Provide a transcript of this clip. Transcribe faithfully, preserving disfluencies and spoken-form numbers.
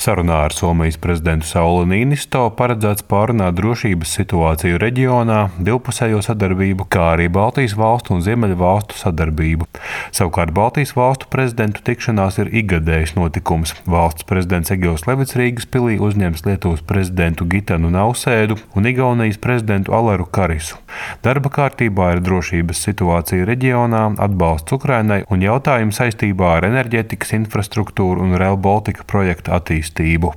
Sarunā ar Somijas prezidentu Sauli Niinisto paredzēts pārunāt drošības situāciju reģionā, divpusējo sadarbību, kā arī Baltijas valstu un Ziemeļu valstu sadarbību. Savukārt Baltijas valstu prezidentu tikšanās ir ikgadējs notikums. Valsts prezidents Egils Levits Rīgas pilī uzņems Lietuvas prezidentu Gitanu Nausēdu un Igaunijas prezidentu Aleru Karisu. Darba kārtībā ir drošības situācija reģionā, atbalsts Ukrainai un jautājumi saistībā ar enerģētikas infrastruktūru un Rail Baltica projekta attīstību.